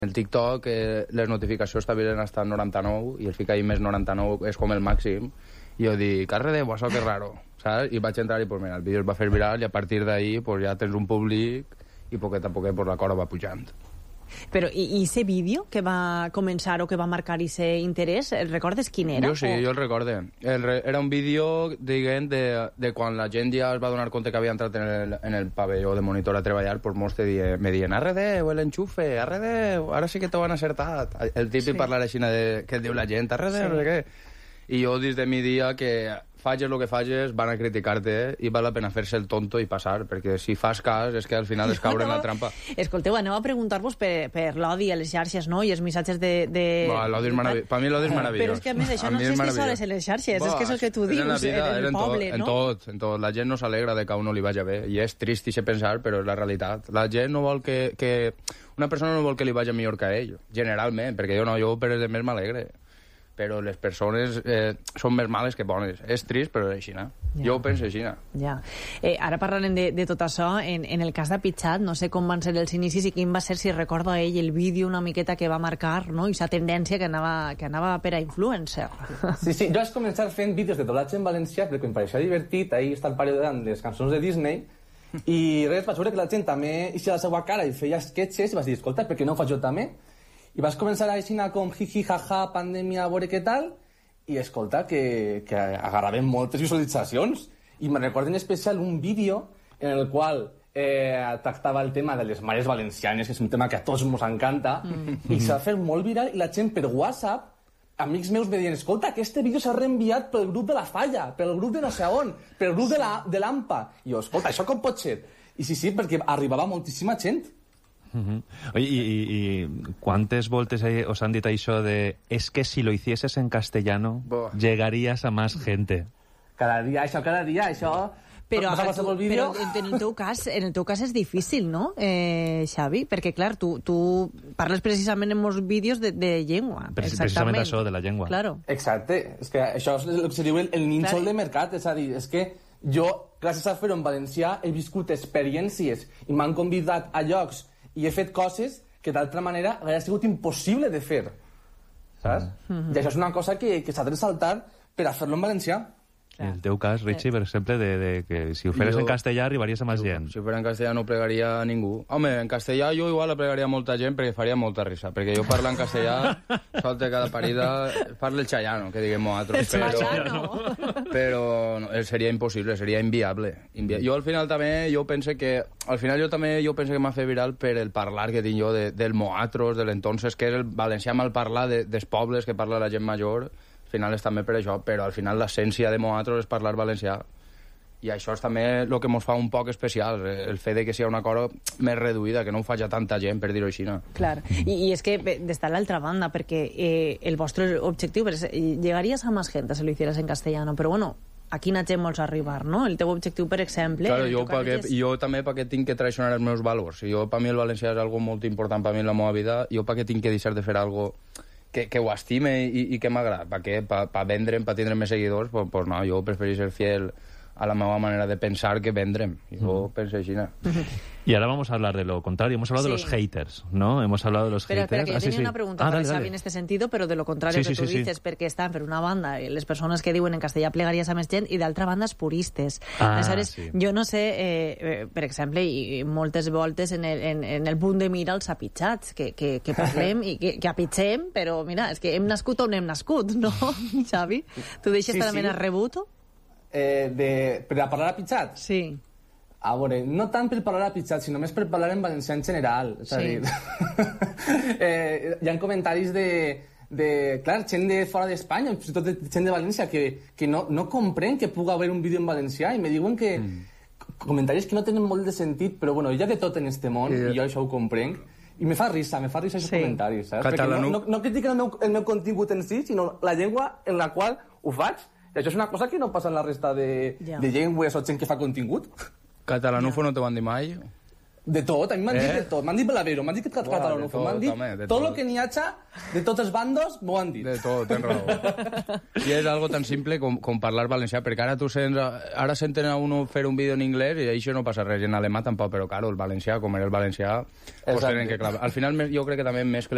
El TikTok, les notificacions estaven hasta 99 i el fica ahí més 99 és com el màxim. I jo dic, arre, això que raro, saps? I vaig entrar i, pues mira, el vídeo es va fer viral i a partir d'ahí pues, ja tens un públic i poquet a poquet pues, la cosa va pujant. Però, i ese vídeo que va començar o que va marcar ese interès, recordes quin era? Jo sí, jo el recorde. Era un vídeo, diguem, de quan la gent ja es va donar compte que havia entrat en el pavelló de monitor a treballar, pues molts me diuen, arre Déu, l'enxufe, arre Déu, ara sí que t'ho han acertat. El típic parlar així que diu la gent, arre Déu, no sé què. I jo, des de mi dia, que fages el que fages, van a criticar-te i val la pena fer-se el tonto i passar, perquè si fas cas és que al final es caure en la trampa. Escolteu, aneu a preguntar-vos per l'odi a les xarxes, no? I els missatges de... L'odi és meravellós. Per mi l'odi és meravellós. Però és que a més això no és que sols en les xarxes, és que és el que tu dius, en el poble, no? En tot. La gent no s'alegra de que a uno li vagi bé, i és trist i pensar, però és la realitat. La gent no vol que... Una persona no vol que li vagi millor que a ell, generalment, perquè jo per els més m'alegre. Però les persones són més males que bones. És trist, però és així, no? Ja. Jo ho penso així, no? Ja. Ara parlarem de tot això. En el cas de Pitxat, no sé com van ser els inicis i quin va ser, si recordo a ell, el vídeo una miqueta que va marcar, no? I aquesta tendència que anava per a influencer. Sí, jo vaig començar fent vídeos de doblatge en valencià perquè em pareixia divertit. Ahir està el parodiant les cançons de Disney i res, vaig veure que la gent també eixia la seva cara i feia sketches i vaig dir, escolta, per què no ho faig jo també? I vas començar a així com jiji, jaja, pandèmia, a veure què tal, i escolta, que agarraven moltes visualitzacions. I me recordo en especial un vídeo en el qual tractava el tema de les mares valencianes, que és un tema que a tots ens encanta, i s'ha fet molt viral, i la gent per WhatsApp, amics meus me diuen, escolta, aquest vídeo s'ha reenviat pel grup de la Falla, pel grup de no sé on, pel grup de l'AMPA. I jo, escolta, això com pot ser? I sí, perquè arribava moltíssima gent. Oye, y ¿cuántas voltes os han dit això de es que si lo hicieses en castellano llegarías a más gente? Cada dia això... Però en el teu cas és difícil, no, Xavi? Perquè, clar, tu parles precisament en molts vídeos de llengua. Precisament això, de la llengua. Claro. Exacte. És que això és el que se diu el nínxol de mercat. És a dir, és que jo, gràcies a fer-ho en valencià, he viscut experiències i m'han convidat a llocs i he fet coses que d'altra manera hauria sigut impossible de fer, saps? I això és una cosa que s'ha de ressaltar per a fer-lo en valencià. En el teu cas, Richie, per exemple, de que si ho feres en castellà arribaries a més gent. Si ho fes en castellà no plegaria a ningú. Home, en castellà jo igual la plegaria a molta gent perquè faria molta risa, perquè jo parlo en castellà, solte cada parida, parlo el xayano, que diguem nosaltres, però no, seria impossible, seria inviable. Jo al final també, jo penso que m'ha fet viral per el parlar que tinc jo del moatros, de l'entonces, que és el valencià mal parlar dels pobles que parla la gent major. Al final és també per això, però al final l'essència de nosaltres és parlar valencià. I això és també el que ens fa un poc especial, el fet de que sigui una cosa més reduïda, que no ho faci tanta gent, per dir-ho així. No? Clar, i és que d'estar a l'altra banda, perquè el vostre objectiu és llegaries a més gent si lo hicieras en castellano, però bueno, a quina gent vols arribar, no? El teu objectiu, per exemple... Claro, jo també perquè tinc que traicionar els meus valors. Per mi el valencià és algo molt important per mi en la meva vida, jo perquè tinc que deixar de fer algo que ho estime i que m'agrada. Per què? Per vendre'm, per tindre més seguidors, pues no, jo prefereixo ser fiel a la meva manera de pensar que vendre'm. Jo penso així, no? Y ahora vamos a hablar de lo contrario. Hemos hablado de los haters, ¿no? Hemos hablado de los haters. Espera, que yo tenía una pregunta para Xavi en este sentido, pero de lo contrario que tú dices, perquè estan, per una banda, les persones que diuen en castellà plegaries a més gent, i d'altra banda, els puristes. Aleshores, jo no sé, per exemple, i moltes voltes en el punt de mira els apitxats, que parlem i que apitxem, però mira, és que hem nascut on hem nascut, no, Xavi? Tu deixes també el rebut? Per a parlar apitxat? Sí. A veure, no tant per parlar a pitjat, sinó més per parlar en valencià en general. És a dir, hi ha comentaris clar, gent de fora d'Espanya, fins i tot gent de València, que no comprèn que pugui haver un vídeo en valencià i me diuen que comentaris que no tenen molt de sentit, però bueno, hi ha de tot en este món, i jo això ho comprenc, i me fa risa aquests comentaris, saps? Perquè no critiquen el meu contingut en si, sinó la llengua en la qual ho faig, i això és una cosa que no passa en la resta de llengües o gent que fa contingut. Catalanufo no t'ho van dir mai? De tot, a mi m'han dit de tot. M'han dit Blavero, m'han dit catalanofo, m'han dit tot el que n'hi haja de tots els bandos, m'ho han dit. De tot, tens raó. I és algo tan simple com parlar valencià, perquè ara ara senten a uno fer un vídeo en anglès i això no passa res, i en alemà tampoc, però claro, el valencià, com era el valencià, pues tenen que clavar. Al final jo crec que també més que